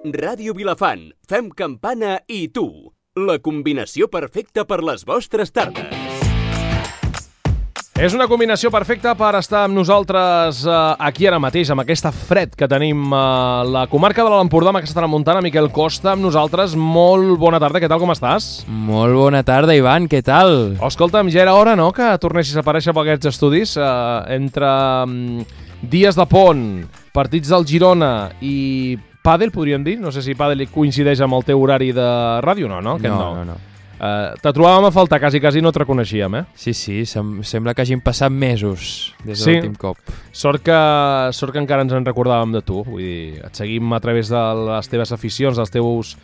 Ràdio Vilafant, fem campana i tu. La combinació perfecta per les vostres tardes. És una combinació perfecta per estar amb nosaltres aquí ara mateix, amb aquesta fred que tenim a la comarca de l'Empordà, amb aquesta tramuntana. Miquel Costa, amb nosaltres. Molt bona tarda, què tal, com estàs? Molt bona tarda, Ivan, què tal? Escolta'm, ja era hora, no?, que tornessis a aparèixer per aquests estudis. Entre dies de pont, partits del Girona i pàdel, podríem dir? No sé si pàdel coincideix amb el teu horari de ràdio, no? No. Te trobàvem a faltar, quasi no et reconeixíem, eh? Sí, sembla que hagin passat mesos des de l'últim cop. Sort que encara ens en recordàvem de tu. Vull dir, et seguim a través de les teves aficions, dels teus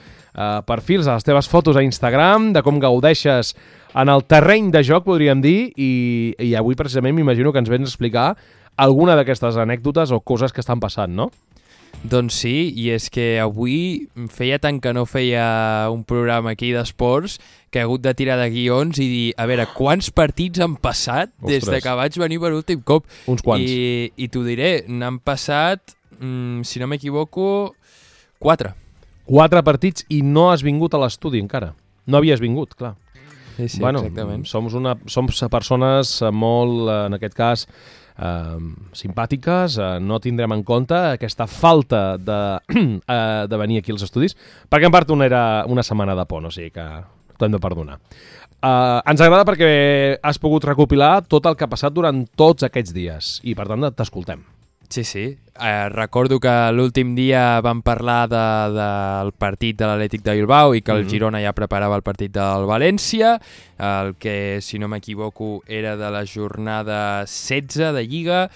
perfils, de les teves fotos a Instagram, de com gaudeixes en el terreny de joc, podríem dir, i avui precisament m'imagino que ens vens a explicar alguna d'aquestes anècdotes o coses que estan passant, no? Doncs sí, i és que avui feia tant que no feia un programa aquí d'esports que he hagut de tirar de guions i dir, a veure, quants partits han passat des de que vaig venir per l'últim cop? Uns quants. I t'ho diré, n'han passat, si no m'equivoco, 4. 4 partits i no has vingut a l'estudi encara. No havies vingut, clar. Sí, bueno, exactament. Som persones molt, en aquest cas, simpàtiques, no tindrem en compte aquesta falta de venir aquí als estudis, perquè en part era una setmana de pont, o sigui que t'ho hem de perdonar. Ens agrada perquè has pogut recopilar tot el que ha passat durant tots aquests dies i per tant t'escoltem. Sí. Recordo que l'últim dia vam parlar del partit de l'Atlètic de Bilbao i que el Girona ja preparava el partit del València, el que, si no m'equivoco, era de la jornada 16 de Lliga,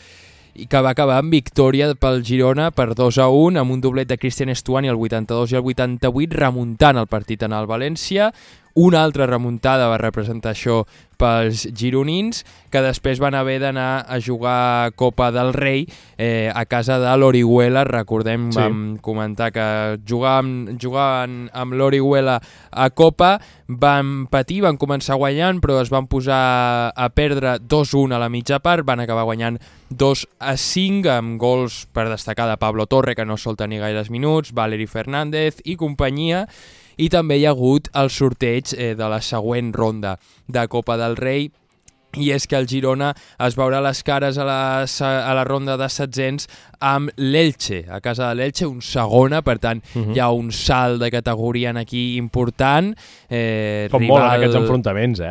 i que va acabar amb victòria pel Girona per 2-1, amb un doblet de Cristian Estuani al 82 i al 88, remuntant el partit en el València. Una altra remuntada va representar això pels gironins, que després van haver d'anar a jugar Copa del Rei a casa de l'Orihuela. Recordem, sí. Vam comentar que jugaven amb l'Orihuela a Copa, van patir, van començar guanyant, però es van posar a perdre 2-1 a la mitja part, van acabar guanyant 2-5 amb gols per destacar de Pablo Torre, que no sol tenir gaires minuts, Valeri Fernández i companyia. I també hi ha hagut el sorteig de la següent ronda de Copa del Rei, i és que el Girona es veurà les cares a la ronda de setzents amb l'Elche, a casa de l'Elche, un segona, per tant hi ha un salt de categoria aquí important. Com molen aquests enfrontaments,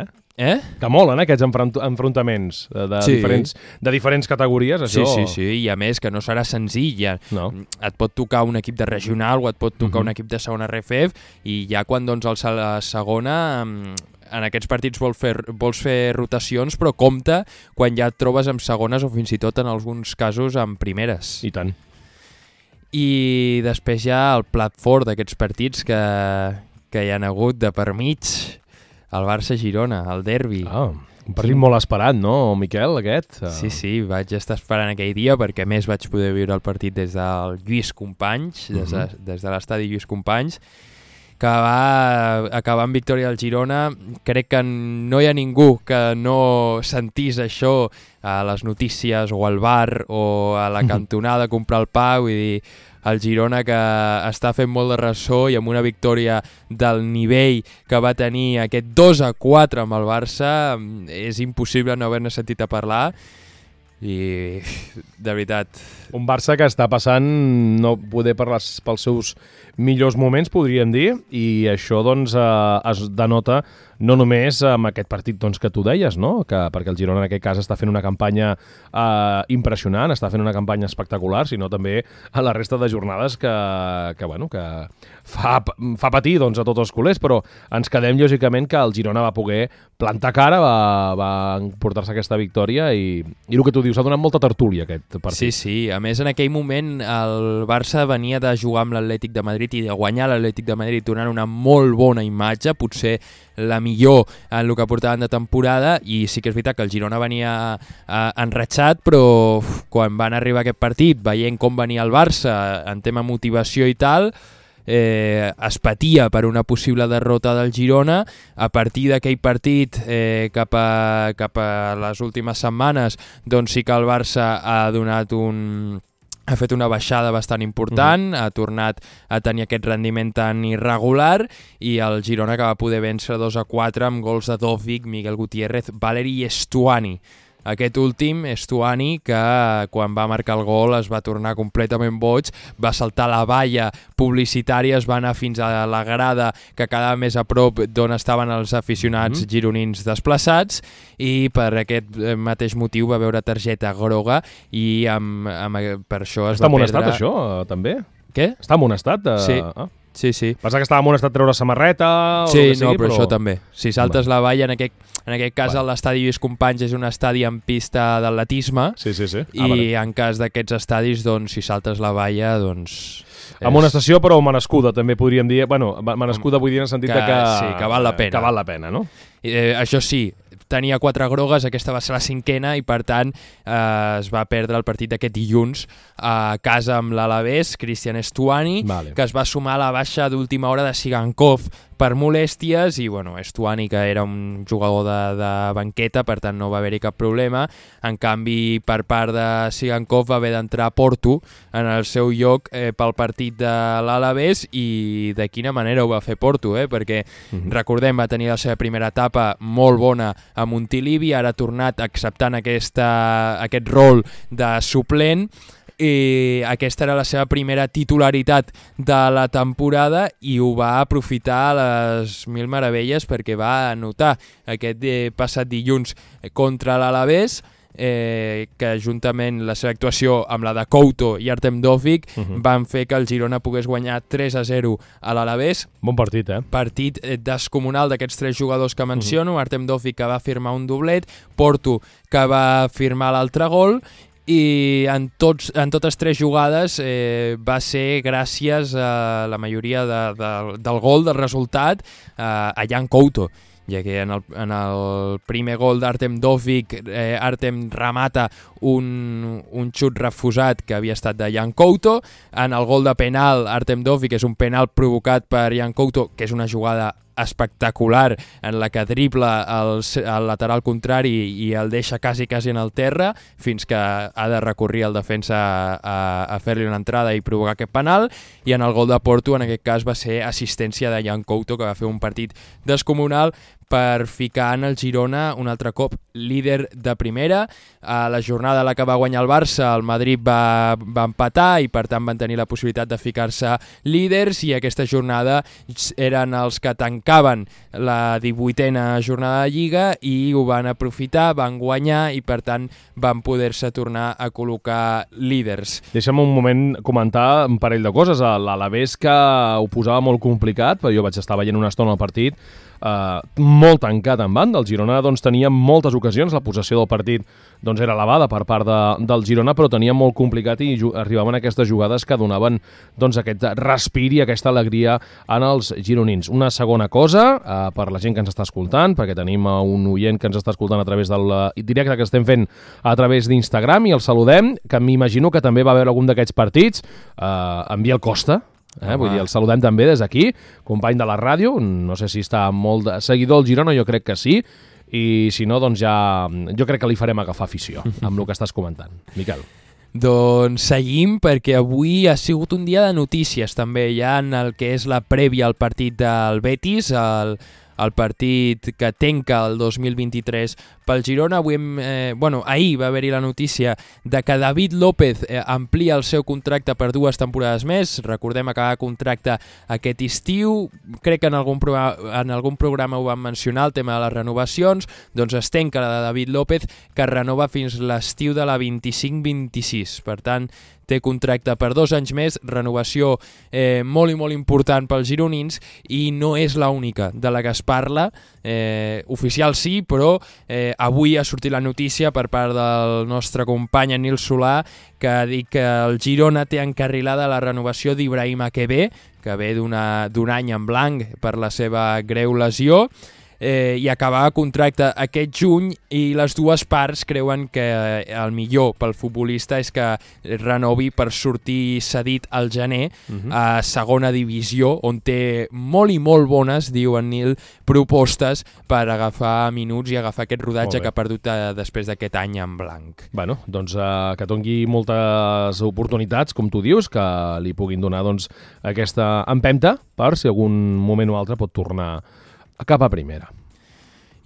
Que molen aquests enfrontaments de diferents categories, això. Sí, i a més que no serà senzill. No. Et pot tocar un equip de regional o et pot tocar un equip de segona RFF, i ja quan alça a la segona, en aquests partits vols fer rotacions, però compte quan ja et trobes amb segones o fins i tot en alguns casos amb primeres. I tant. I després hi ha el plat fort d'aquests partits que hi han hagut de per mig, el Barça-Girona, el derbi. Un partit molt esperat, no, Miquel, aquest? Sí, vaig estar esperant aquell dia perquè més vaig poder viure el partit des del Lluís Companys, des de l'estadi Lluís Companys, que va acabar amb victòria del Girona. Crec que no hi ha ningú que no sentís això a les notícies o al bar o a la cantonada a comprar el pa. Vull dir, el Girona, que està fent molt de ressò, i amb una victòria del nivell que va tenir aquest 2-4 amb el Barça, és impossible no haver-ne sentit a parlar. I de veritat, un Barça que està passant no poder parlar pels seus millors moments, podríem dir, i això doncs es denota no només amb aquest partit doncs, que tu deies, no? Perquè el Girona en aquest cas està fent una campanya impressionant, està fent una campanya espectacular, sinó també a la resta de jornades que fa patir doncs, a tots els culers, però ens quedem lògicament que el Girona va poder plantar cara, va portar-se aquesta victòria, i el que tu dius, ha donat molta tertúlia aquest partit. Sí, a més en aquell moment el Barça venia de jugar amb l'Atlètic de Madrid i de guanyar l'Atlètic de Madrid, donant una molt bona imatge, potser la millor en el que portaven de temporada, i sí que és veritat que el Girona venia enratxat, però quan van arribar a aquest partit, veient com venia el Barça en tema motivació i tal, es patia per una possible derrota del Girona. A partir d'aquell partit, cap a les últimes setmanes, doncs sí que el Barça ha donat ha fet una baixada bastant important, ha tornat a tenir aquest rendiment tan irregular i el Girona que va poder vèncer 2-4 amb gols de Dovic, Miguel Gutiérrez, Valeri i Estuani. Aquest últim, Estuani, que quan va marcar el gol es va tornar completament boig, va saltar la valla publicitària, es va anar fins a la grada que quedava més a prop d'on estaven els aficionats gironins desplaçats i per aquest mateix motiu va veure targeta groga i per això es Està va perdre... amonestat, això, també? Què? Està amonestat? Sí. Sí. Passa que estava amonestat treure samarreta o sí, el que sigui, però això també. Si saltes la valla, en aquest cas l'estadi Lluís Companys és un estadi en pista d'atletisme sí. i en cas d'aquests estadis, doncs, si saltes la valla, doncs... Amonestació, però merescuda, també podríem dir. Bueno, merescuda vull dir en el sentit que... Sí, que val la pena. Que val la pena, no? Això sí, tenia 4 grogues, aquesta va ser la 5ª i per tant es va perdre el partit d'aquest dilluns a casa amb l'Alavés, Cristian Estuani, que es va sumar a la baixa d'última hora de Sigankov per molèsties i bueno, Estuani, que era un jugador de banqueta, per tant no va haver-hi cap problema. En canvi, per part de Sigankov va haver d'entrar Porto en el seu lloc pel partit de l'Alavés i de quina manera ho va fer Porto, perquè recordem, va tenir la seva primera etapa molt bona a Montilivi, ara ha tornat acceptant aquest rol de suplent i aquesta era la seva primera titularitat de la temporada i ho va aprofitar a les mil meravelles perquè va anotar aquest passat dilluns contra l'Alavés, que juntament la seva actuació amb la de Couto i Artem Dovvik van fer que el Girona pogués guanyar 3-0 a l'Alavés. Bon partit, Partit descomunal d'aquests 3 jugadors que menciono, Artem Dovvik que va firmar un doblet, Porto que va firmar l'altre gol i en totes 3 jugades va ser gràcies a la majoria del gol, del resultat, a Jan Couto, ja que en el primer gol d'Artem Dovvik, Artem remata un xut refusat que havia estat de Jan Couto. En el gol de penal, Artem Dovvik és un penal provocat per Jan Couto, que és una jugada espectacular en la que dribla el lateral contrari i el deixa quasi en el terra fins que ha de recórrer el defensa a fer-li una entrada i provocar aquest penal, i en el gol de Porto en aquest cas va ser assistència de Jan Couto, que va fer un partit descomunal per ficar en el Girona un altre cop líder de primera. A la jornada en la que va guanyar el Barça, el Madrid va empatar i per tant van tenir la possibilitat de ficar-se líders, i aquesta jornada eren els que tancaven la 18a jornada de Lliga i ho van aprofitar, van guanyar i per tant van poder-se tornar a col·locar líders. Deixa'm un moment comentar un parell de coses. L'Alavés, que ho posava molt complicat, però jo vaig estar veient una estona el partit, molt tancat en banda. El Girona doncs, tenia moltes ocasions, la possessió del partit doncs, era elevada per part del Girona, però tenia molt complicat i arribaven aquestes jugades que donaven doncs, aquest respir i aquesta alegria en els gironins. Una segona cosa, per la gent que ens està escoltant, perquè tenim un oient que ens està escoltant a través del directe que estem fent a través d'Instagram, i el saludem, que m'imagino que també va veure algun d'aquests partits, en Biel Costa. Vull dir, el saludem també des d'aquí, company de la ràdio, no sé si està molt seguidor del Girona, jo crec que sí, i si no, doncs ja jo crec que li farem agafar afició amb el que estàs comentant. Miquel. Doncs seguim, perquè avui ha sigut un dia de notícies també, ja en el que és la prèvia al partit del Betis, el partit que tanca el 2023 pel Girona. Ahir va haver-hi la notícia de que David López amplia el seu contracte per 2 temporades més. Recordem, acabar contracte aquest estiu. Crec que en algun programa ho vam mencionar, el tema de les renovacions. Doncs es tanca la de David López, que renova fins l'estiu de la 25-26. Per tant, té contracte per 2 anys més, renovació molt i molt important pels gironins, i no és l'única de la que es parla, oficial sí, però avui ha sortit la notícia per part del nostre company Nil Solà, que ha dit que el Girona té encarrilada la renovació d'Ibrahim Akebe, que ve d'un any en blanc per la seva greu lesió. i acabar contracte aquest juny, i les dues parts creuen que el millor pel futbolista és que renovi per sortir cedit al gener a segona divisió, on té molt i molt bones, diu en Nil, propostes per agafar minuts i agafar aquest rodatge que ha perdut després d'aquest any en blanc. Bueno, doncs que doni moltes oportunitats, com tu dius, que li puguin donar aquesta empenta per si algun moment o altre pot tornar cap a primera.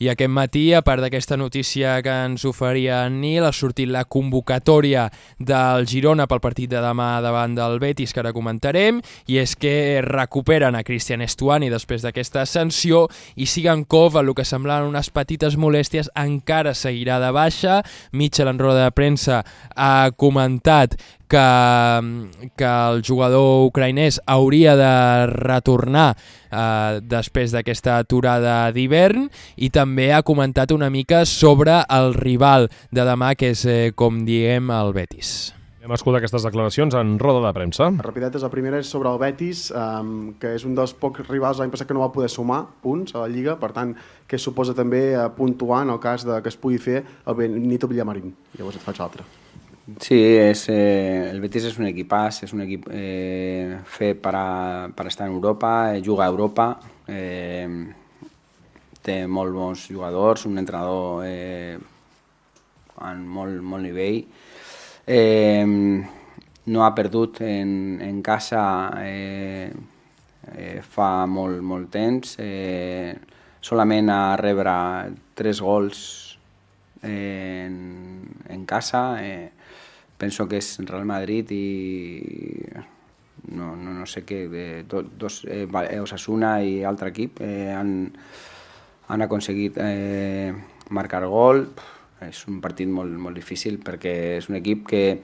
I aquest matí, a part d'aquesta notícia que ens oferia en Nil, ha sortit la convocatòria del Girona pel partit de demà davant del Betis, que ara comentarem, i és que recuperen a Cristian Estuani després d'aquesta sanció, i Sigankov, el que semblaven unes petites molèsties, encara seguirà de baixa. Mitchell, en roda de premsa, ha comentat que el jugador ucraïnès hauria de retornar després d'aquesta aturada d'hivern, i també ha comentat una mica sobre el rival de demà, que és, com diem, el Betis. Hem escoltat aquestes declaracions en roda de premsa. Rapidetes, la primera és sobre el Betis, que és un dels pocs rivals l'any passat que no va poder sumar punts a la Lliga, per tant, que suposa també puntuar en el cas que es pugui fer el Benito Villamarín. Llavors et faig l'altre. Sí, el Betis és un equipàs, és un equip fet per estar en Europa, juga a Europa, té molt bons jugadors, un entrenador amb molt nivell, no ha perdut en casa fa molt temps, solament a rebre 3 gols en casa. Penso que és Real Madrid i no sé què, Osasuna i altre equip han aconseguit marcar gol. És un partit molt difícil perquè és un equip que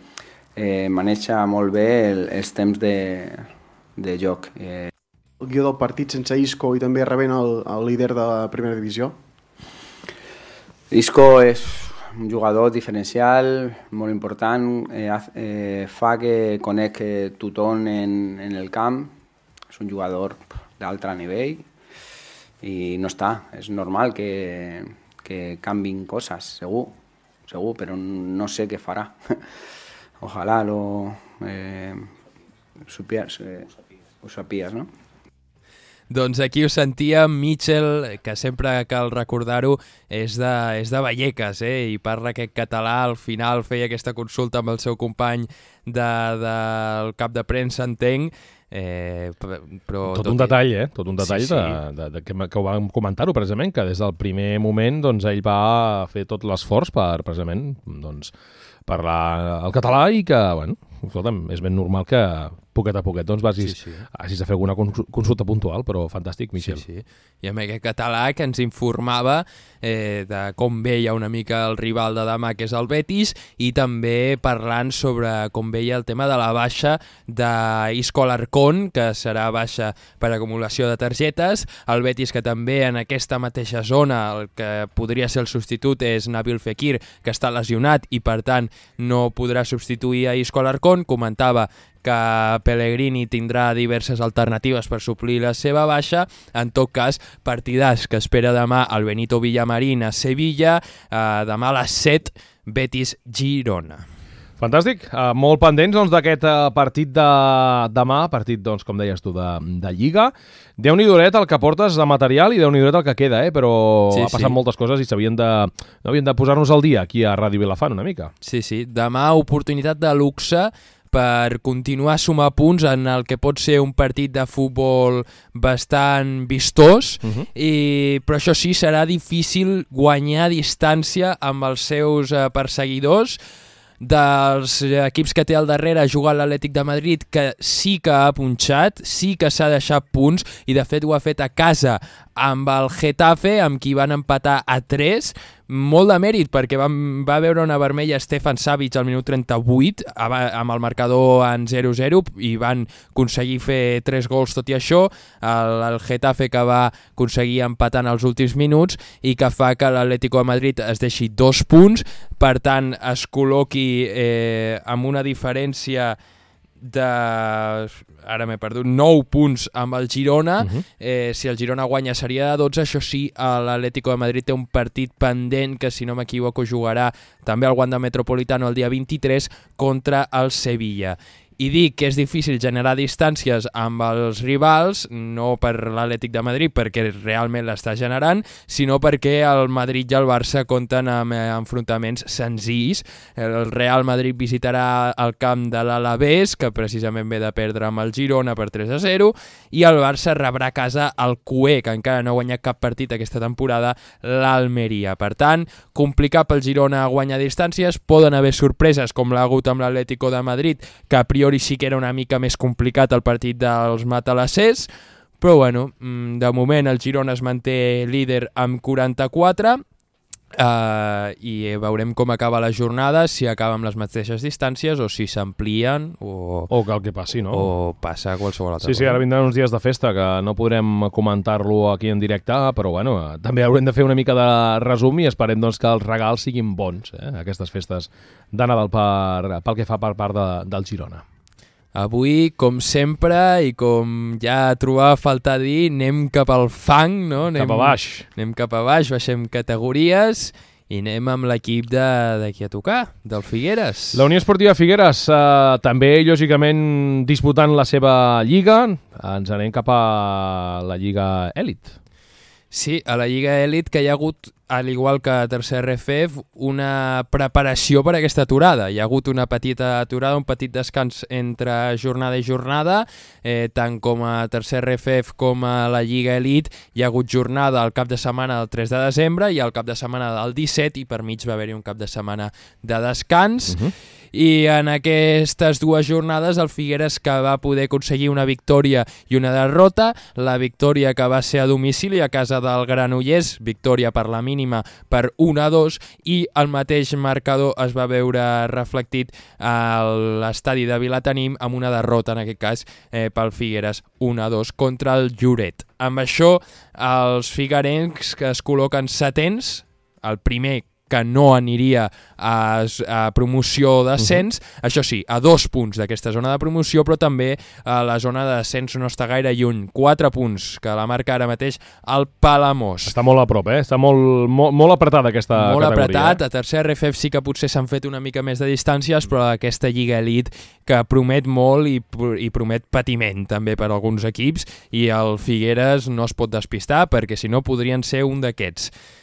maneja molt bé els temps de joc. El guió del partit sense Isco i també rebent el líder de la primera divisió. Isco és un jugador diferencial, molt important, fa que conec tothom en el camp, és un jugador d'altre nivell i no està, és normal que canvin coses, segur, però no sé què farà. Ojalà ho sapies, no? Doncs aquí ho sentíem, Mitchell, que sempre cal recordar-ho, és de Vallecas, i parla aquest català. Al final feia aquesta consulta amb el seu company del cap de premsa, entenc. Però tot un detall, tot un detall sí. Que ho vam comentar-ho precisament, que des del primer moment ell va fer tot l'esforç per precisament parlar el català i que, escolta'm, és ben normal que poquet a poquet hagis de fer alguna consulta puntual, però fantàstic, Michel. Sí. I amb aquest català que ens informava de com veia una mica el rival de demà, que és el Betis, i també parlant sobre com veia el tema de la baixa d'Isco Alarcón, que serà baixa per acumulació de targetes. El Betis, que també en aquesta mateixa zona el que podria ser el substitut és Nabil Fekir, que està lesionat i per tant no podrà substituir a Isco Alarcón. Comentava que Pellegrini tindrà diverses alternatives per suplir la seva baixa. En tot cas, partidàs que espera demà el Benito Villamarín a Sevilla, demà a les 7, Betis-Girona. Fantàstic, molt pendents d'aquest partit de demà, partit, com deies tu, de Lliga. Déu-n'hi-do el que portes de material i Déu-n'hi-do el que queda, però ha passat moltes coses i havien de posar-nos al dia aquí a Ràdio Vilafant una mica. Sí, demà oportunitat de luxe per continuar a sumar punts en el que pot ser un partit de futbol bastant vistós, però això sí, serà difícil guanyar distància amb els seus perseguidors. Dels equips que té al darrere ha jugat l'Atlètic de Madrid, que sí que ha punxat, sí que s'ha deixat punts, i de fet ho ha fet a casa amb el Getafe, amb qui van empatar a 3, molt de mèrit, perquè va veure una vermella Stefan Savic al minut 38, amb el marcador en 0-0, i van aconseguir fer 3 gols tot i això. El Getafe, que va aconseguir empatar en els últims minuts, i que fa que l'Atlético de Madrid es deixi 2 punts, per tant es col·loqui amb una diferència ara m'he perdut, 9 punts amb el Girona. Si el Girona guanya seria de 12. Això sí, l'Atlético de Madrid té un partit pendent que, si no m'equivoco, jugarà també al Wanda Metropolitano el dia 23 contra el Sevilla. I dic que és difícil generar distàncies amb els rivals, no per l'Atlètic de Madrid, perquè realment l'està generant, sinó perquè el Madrid i el Barça compten amb enfrontaments senzills. El Real Madrid visitarà el camp de l'Alavés, que precisament ve de perdre amb el Girona per 3-0, i el Barça rebrà a casa el Cué, que encara no ha guanyat cap partit aquesta temporada, l'Almeria. Per tant, complicat pel Girona guanyar distàncies, poden haver sorpreses com l'ha hagut amb l'Atlético de Madrid, que a priori sí que era una mica més complicat el partit dels matalassers, però bueno, de moment el Girona es manté líder amb 44 i veurem com acaba la jornada, si acaba amb les mateixes distàncies o si s'amplien o cal que passi, no? O passa qualsevol altra cosa. Sí, ara vindran uns dies de festa que no podrem comentar-lo aquí en directe, però bueno, també haurem de fer una mica de resum i esperem doncs, que els regals siguin bons, aquestes festes de Nadal pel que fa per part del Girona. Avui, com sempre, i com ja trobava a faltar dir, anem cap al fang, no? Cap a baix. Anem cap a baix, baixem categories i anem amb l'equip d'aquí a tocar, del Figueres. La Unió Esportiva Figueres, també, lògicament, disputant la seva lliga. Ens anem cap a la Lliga Èlit. Sí, a la Lliga Èlit, que hi ha hagut, al igual que a tercer RFF, una preparació per a aquesta aturada. Hi ha hagut una petita aturada, un petit descans entre jornada i jornada, tant com a tercer RFF com a la Lliga Èlit. Hi ha hagut jornada al cap de setmana del 3 de desembre i al cap de setmana del 17, i per mig va haver-hi un cap de setmana de descans. I en aquestes dues jornades el Figueres, que va poder aconseguir una victòria i una derrota, la victòria que va ser a domicili a casa del Granollers, victòria per la mínima per 1-2, i el mateix marcador es va veure reflectit a l'estadi de Vilatenim amb una derrota, en aquest cas pel Figueres, 1-2 contra el Lloret. Amb això els figuerencs que es col·loquen setens, el primer que no aniria a promoció o d'ascens, això sí, a 2 punts d'aquesta zona de promoció, però també la zona d'ascens no està gaire lluny, 4 punts, que la marca ara mateix el Palamós. Està molt a prop, està molt apretada aquesta categoria. Molt apretat, a tercer RFF sí que potser s'han fet una mica més de distàncies, però aquesta Lliga Elite que promet molt i promet patiment també per alguns equips, i el Figueres no es pot despistar, perquè si no podrien ser un d'aquests.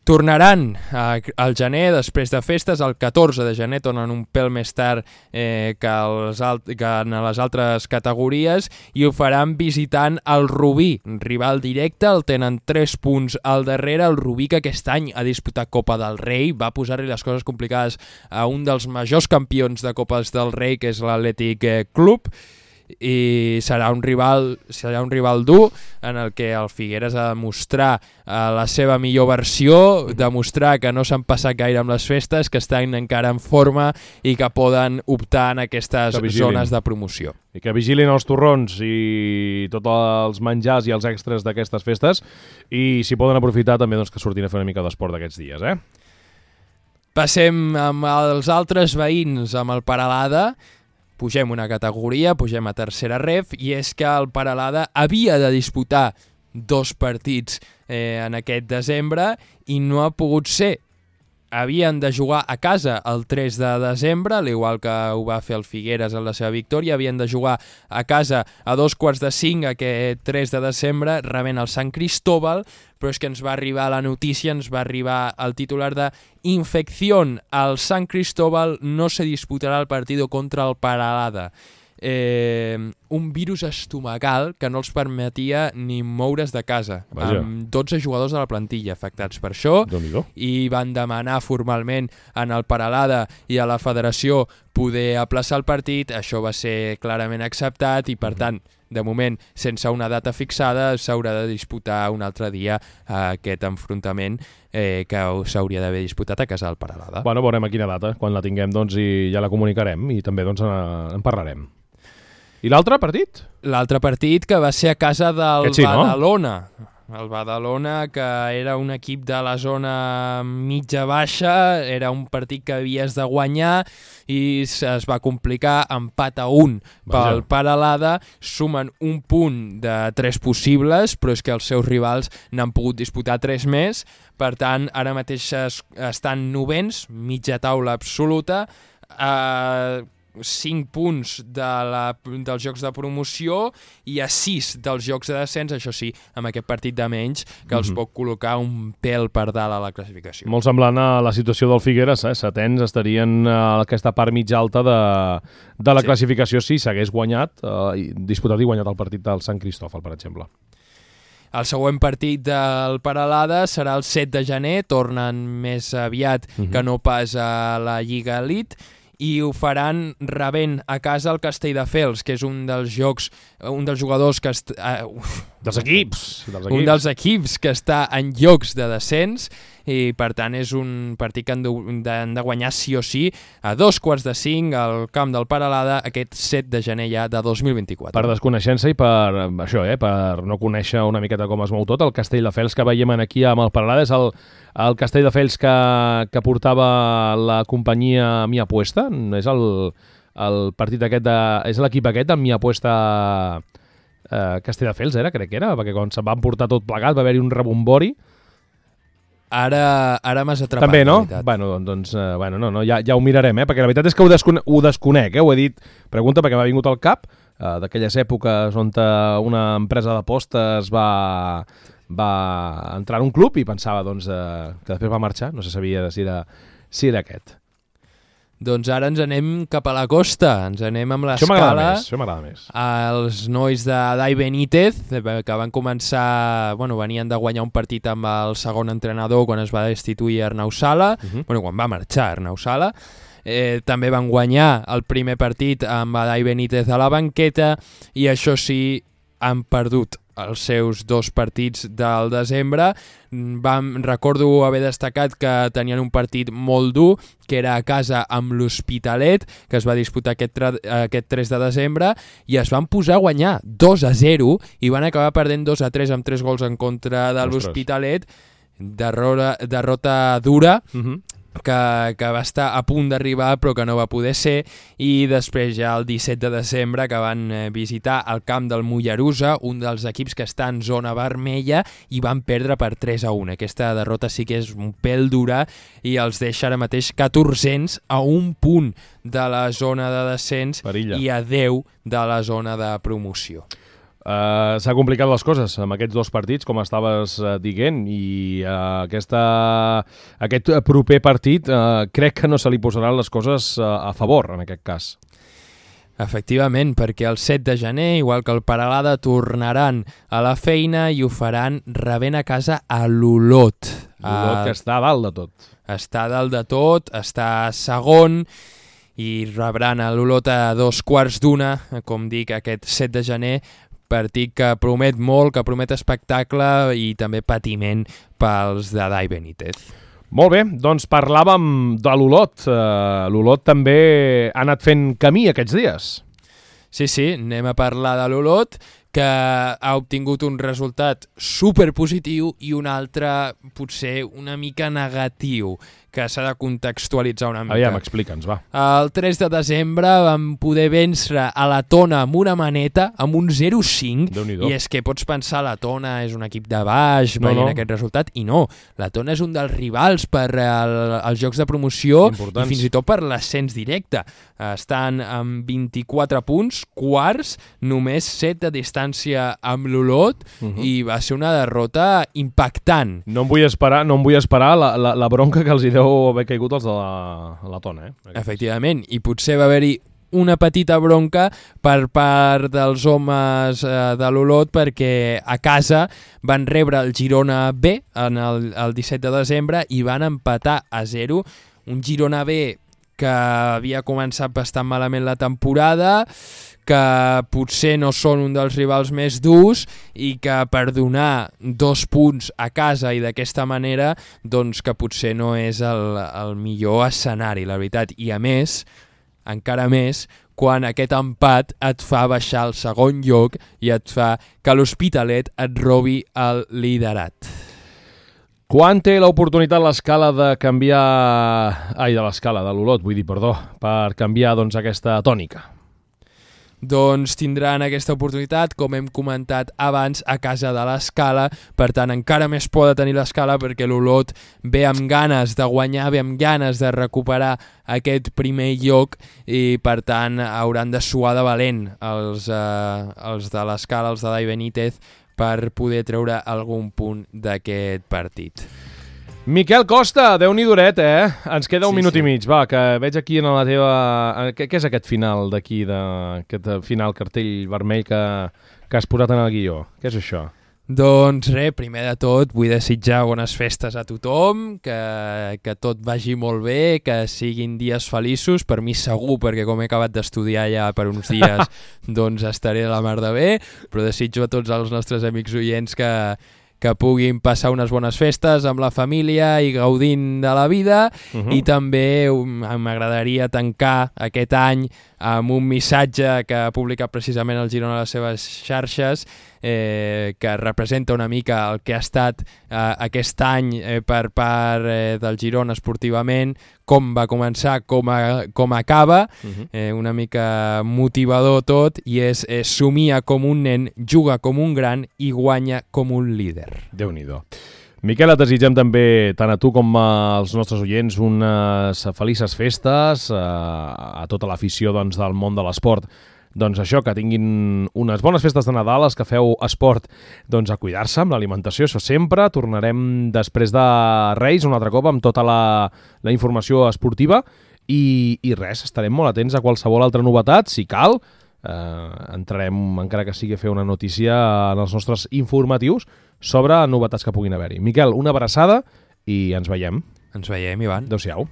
Tornaran al gener, després de festes, el 14 de gener tornen un pèl més tard que en les altres categories, i ho faran visitant el Rubí, rival directe. El tenen 3 punts al darrere, el Rubí, que aquest any ha disputat Copa del Rei, va posar-li les coses complicades a un dels majors campions de Copes del Rei, que és l'Atlètic Club, i serà un rival dur en el que el Figueres ha de mostrar la seva millor versió, demostrar que no s'han passat gaire amb les festes, que estan encara en forma i que poden optar en aquestes zones de promoció. I que vigilin els torrons i tots els menjars i els extras d'aquestes festes, i si poden aprofitar també doncs, que surtin a fer una mica d'esport d'aquests dies. Passem amb els altres veïns, amb el Peralada. Pugem una categoria, pugem a tercera ref, i és que el Peralada havia de disputar 2 partits en aquest desembre i no ha pogut ser. Havien de jugar a casa el 3 de desembre, al igual que ho va fer el Figueres en la seva victòria. Havien de jugar a casa a 4:45 aquest 3 de desembre, rebent el Sant Cristóbal, però és que ens va arribar la notícia, ens va arribar el titular de infección. Al Sant Cristóbal no se disputarà el partido contra el Peralada. Un virus estomacal que no els permetia ni moure's de casa. Vaja. Amb 12 jugadors de la plantilla afectats per això, i van demanar formalment en el Peralada i a la federació poder aplaçar el partit. Això va ser clarament acceptat i, per tant, de moment, sense una data fixada, s'haurà de disputar un altre dia aquest enfrontament que s'hauria d'haver disputat a casa del Peralada. Bueno, veurem a quina data, quan la tinguem doncs, i ja la comunicarem i també doncs, en parlarem. I l'altre partit? L'altre partit, que va ser a casa del Badalona. El Badalona, que era un equip de la zona mitja-baixa, era un partit que havies de guanyar i es va complicar, empat a 1 pel Peralada, sumen un punt de 3 possibles, però és que els seus rivals n'han pogut disputar 3 més, per tant, ara mateix estan novens, mitja taula absoluta, 5 punts dels jocs de promoció i a 6 dels jocs de descens, això sí, amb aquest partit de menys, que els pot col·locar un pèl per dalt a la classificació. Molt semblant a la situació del Figueres, setens estarien a aquesta part mitja alta de la classificació si s'hagués guanyat, disputat i guanyat el partit del Sant Cristòfol, per exemple. El següent partit del Peralada serà el 7 de gener, tornen més aviat que no pas a la Lliga Elite, i ho faran rebent a casa el Castelldefels, que és un dels jugadors que... Dels equips! Un dels equips que està en llocs de descens, i per tant és un partit que han de guanyar sí o sí a 4:45 al camp del Peralada aquest 7 de gener ja de 2024. Per desconeixença i per això, per no conèixer una miqueta com es mou tot, el Castelldefels que veiem aquí amb el Peralada és el Castelldefels que portava la companyia Mi Apuesta, és el partit aquest és l'equip aquest amb Mi Apuesta Castelldefels, crec que era, perquè quan se'n van portar tot plegat va haver-hi un rebombori. Ara m'has atrapat. També, no? No, ja ho mirarem, perquè la veritat és que ho desconec, ho he dit, pregunta perquè m'ha vingut al cap, d'aquelles èpoques on una empresa d'apostes va entrar en un club i pensava que després va marxar, no se sabia si era aquest. Doncs ara ens anem cap a la costa, ens anem amb l'escala. Això m'agrada més. Els nois de Dai Benítez, que van començar, venien de guanyar un partit amb el segon entrenador quan es va destituir Arnau Sala, quan va marxar Arnau Sala, també van guanyar el primer partit amb Dai Benítez a la banqueta i això sí, han perdut els seus 2 partits del desembre. Recordo haver destacat que tenien un partit molt dur, que era a casa amb l'Hospitalet, que es va disputar aquest 3 de desembre, i es van posar a guanyar 2-0 i van acabar perdent 2-3 amb 3 gols en contra de l'Hospitalet. Derrota dura, que va estar a punt d'arribar però que no va poder ser, i després ja el 17 de desembre que van visitar el camp del Mollerussa, un dels equips que està en zona vermella, i van perdre per 3-1. Aquesta derrota sí que és un pèl dura i els deixa ara mateix 1400 a un punt de la zona de descens. Perilla. I a 10 de la zona de promoció. S'ha complicat les coses amb aquests 2 partits, com estaves dient, i aquest proper partit crec que no se li posaran les coses a favor, en aquest cas. Efectivament, perquè el 7 de gener, igual que el Peralada, tornaran a la feina i ho faran rebent a casa a l'Olot. L'Olot que està a dalt de tot. Està a dalt de tot, està segon, i rebran a l'Olot a 2:15, com dic, aquest 7 de gener, partit que promet molt, que promet espectacle i també patiment pels de Dai Benítez. Molt bé, doncs parlàvem de l'Olot. L'Olot també ha anat fent camí aquests dies. Sí, anem a parlar de l'Olot, que ha obtingut un resultat superpositiu i un altre potser una mica negatiu, que s'ha de contextualitzar una mica. Aviam, explica'ns, va. El 3 de desembre vam poder vèncer a la Tona amb una maneta, amb un 0-5, i és que pots pensar la Tona és un equip de baix veient aquest resultat, i no, la Tona és un dels rivals per als jocs de promoció i fins i tot per l'ascens directe. Estan amb 24 punts, quarts, només 7 de distància amb l'Olot, i va ser una derrota impactant. No em vull esperar la bronca que els hi deu haver caigut els de la Tona. Efectivament, i potser va haver-hi una petita bronca per part dels homes de l'Olot, perquè a casa van rebre el Girona B el 17 de desembre i van empatar a 0, un Girona B que havia començat bastant malament la temporada, que potser no són un dels rivals més durs i que per donar 2 punts a casa i d'aquesta manera, doncs que potser no és el millor escenari, la veritat. I a més, encara més quan aquest empat et fa baixar al segon lloc i et fa que l'Hospitalet et robi el liderat. Quan té l'oportunitat l'Escala de canviar... de l'Escala, de l'Olot, vull dir, perdó, per canviar doncs, aquesta tònica? Doncs tindran aquesta oportunitat, com hem comentat abans, a casa de l'Escala. Per tant, encara més por de tenir l'Escala perquè l'Olot ve amb ganes de guanyar, ve amb ganes de recuperar aquest primer lloc i, per tant, hauran de suar de valent els de l'Escala, els de Dai Benítez, per poder treure algun punt d'aquest partit. Miquel Costa, Déu-n'hi duret, Ens queda un minut i mig, va, que veig aquí en la teva... Què és aquest final d'aquí, aquest final cartell vermell que has posat en el guió? Què és això? Doncs res, primer de tot vull desitjar bones festes a tothom, que tot vagi molt bé, que siguin dies feliços, per mi segur, perquè com he acabat d'estudiar ja per uns dies, doncs estaré a la mar de bé, però desitjo a tots els nostres amics oients que puguin passar unes bones festes amb la família i gaudint de la vida, i també m'agradaria tancar aquest any amb un missatge que ha publicat precisament el Girona a les seves xarxes, que representa una mica el que ha estat aquest any per part del Girona esportivament, com va començar, com acaba, una mica motivador tot, i és somia com un nen, juga com un gran i guanya com un líder. Déu-n'hi-do. Miquel, et desitgem també, tant a tu com als nostres oients, unes felices festes, a tota l'afició doncs, del món de l'esport. Doncs això, que tinguin unes bones festes de Nadal, els que feu esport, doncs a cuidar-se amb l'alimentació, això sempre. Tornarem després de Reis un altre cop amb tota la informació esportiva i res, estarem molt atents a qualsevol altra novetat, si cal. Entrarem, encara que sigui a fer una notícia en els nostres informatius sobre novetats que puguin haver-hi. Miquel, una abraçada i ens veiem. Ens veiem, Ivan. Adéu-siau.